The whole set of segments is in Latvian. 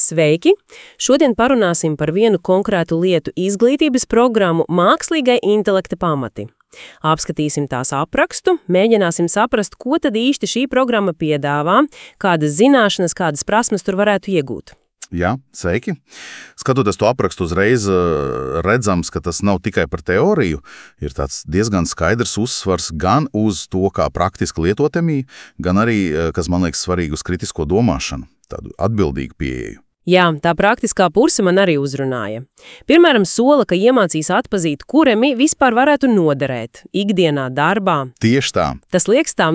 Sveiki! Šodien parunāsim par vienu konkrētu lietu izglītības programmu mākslīgai intelekta pamati. Apskatīsim tās aprakstu, mēģināsim saprast, ko tad īsti šī programma piedāvā, kādas zināšanas, kādas prasmes tur varētu iegūt. Jā, sveiki. Skatoties to aprakstu uzreiz redzams, ka tas nav tikai par teoriju, ir tāds diezgan skaidrs uzsvars gan uz to, kā praktiski lietot MI, gan arī, kas man liekas svarīgi, uz kritisko domāšanu, tādu atbildīgu pieeju. Jā, tā praktiskā puse man arī uzrunāja. Piemēram, sola, ka iemācīs atpazīt, kur MI vispār varētu noderēt ikdienā darbā. Tieši tā. Tas liekas tā,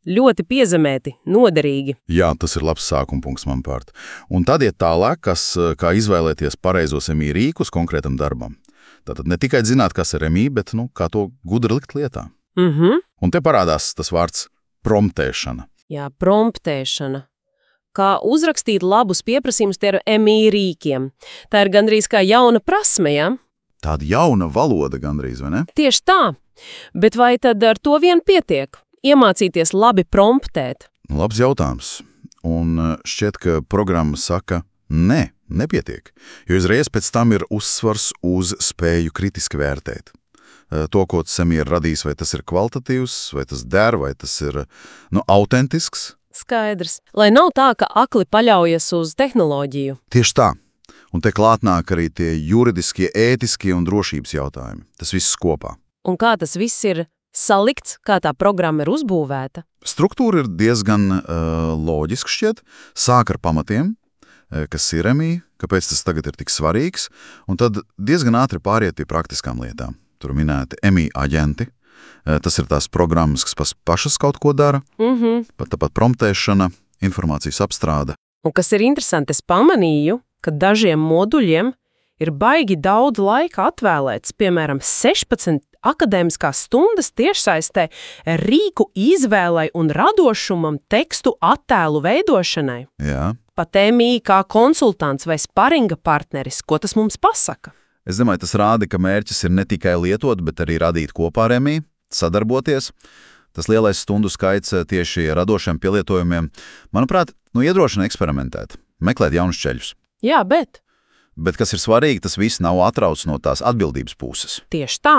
ļoti piezemēti, noderīgi. Jā, tas ir labs sākuma punkts, manuprāt. Un tad iet tālāk, kā izvēlēties pareizos MI rīkus konkrētam darbam. Tātad ne tikai zināt, kas ir MI, bet kā to gudri likt lietā. Un te parādās tas vārds promptēšana. Jā, promptēšana. Kā uzrakstīt labus pieprasījumus ar MI rīkiem. Tā ir gandrīz kā jauna prasme, ja? Tāda jauna valoda gandrīz, vai ne? Tieši tā. Bet vai tad ar to vien pietiek? Iemācīties labi promptēt? Labs jautājums. Un šķiet, ka programma saka, nē, nepietiek. Jo uzreiz pēc tam ir uzsvars uz spēju kritiski vērtēt. To, ko tas MI ir radījis, vai tas ir kvalitatīvs, vai tas der, vai tas ir autentisks. Skaidrs. Lai nav tā, ka akli paļaujas uz tehnoloģiju. Tieši tā. Un te klāt nāk arī tie juridiskie, ētiskie un drošības jautājumi. Tas viss kopā. Un kā tas viss ir salikts, kā tā programma ir uzbūvēta? Struktūra ir diezgan loģiska šķiet. Sāk ar pamatiem, kas ir MI, kāpēc tas tagad ir tik svarīgs, un tad diezgan ātri pāriet pie praktiskām lietām. Tur minēti MI aģenti. Tas ir tās programmas, kas pašas kaut ko dara, pat tāpat promptēšana, informācijas apstrāde. Un kas ir interesanti, es pamanīju, ka dažiem moduļiem ir baigi daudz laika atvēlēts, piemēram, 16 akadēmiskās stundas tiešsaistē rīku izvēlei un radošumam tekstu attēlu veidošanai. Jā. Pat MI kā konsultants vai sparinga partneris, ko tas mums pasaka? Es domāju, tas rāda, ka mērķis ir ne tikai lietot, bet arī radīt kopā ar MI, sadarboties. Tas lielais stundu skaits tieši radošiem pielietojumiem, manuprāt, iedrošina eksperimentēt, meklēt jaunus ceļus. Jā, bet kas ir svarīgi, tas viss nav atrauc no tās atbildības puses. Tieši tā,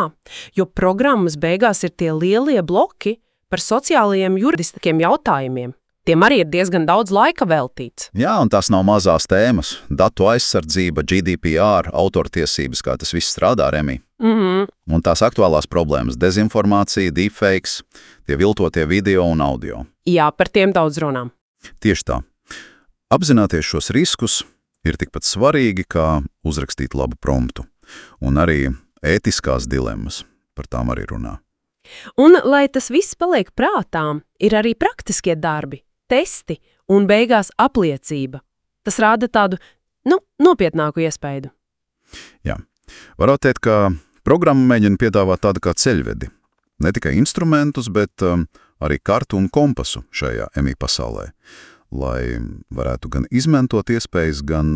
jo programmas beigās ir tie lielie bloki par sociālajiem juridiskiem jautājumiem. Tiem arī ir diezgan daudz laika veltīts. Jā, un tās nav mazās tēmas. Datu aizsardzība, GDPR, autortiesības, kā tas viss strādā ar MI. Un tās aktuālās problēmas – dezinformācija, deepfakes, tie viltotie video un audio. Jā, par tiem daudz runām. Tieši tā. Apzināties šos riskus ir tikpat svarīgi, kā uzrakstīt labu promptu. Un arī ētiskās dilemmas par tām arī runā. Un, lai tas viss paliek prātām, ir arī praktiskie darbi, testi un beigās apliecība. Tas rāda tādu, nopietnāku iespaidu. Jā. Varētu teikt, ka programma mēģina piedāvāt tādu kā ceļvedi. Ne tikai instrumentus, bet arī kartu un kompasu šajā MI pasaulē. Lai varētu gan izmantot iespējas, gan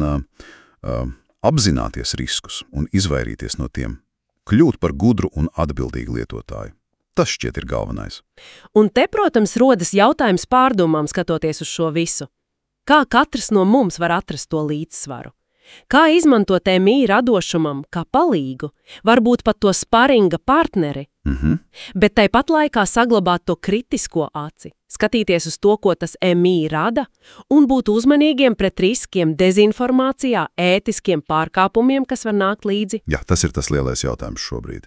apzināties riskus un izvairīties no tiem, kļūt par gudru un atbildīgu lietotāju. Tas šķiet ir galvenais. Un te, protams, rodas jautājums pārdomām skatoties uz šo visu. Kā katrs no mums var atrast to līdzsvaru? Kā izmantot MI radošumam kā palīgu, varbūt pat to sparinga partneri, bet tāpat laikā saglabāt to kritisko aci, skatīties uz to, ko tas MI rada, un būt uzmanīgiem pret riskiem dezinformācijā, ētiskiem pārkāpumiem, kas var nākt līdzi? Jā, tas ir tas lielais jautājums šobrīd.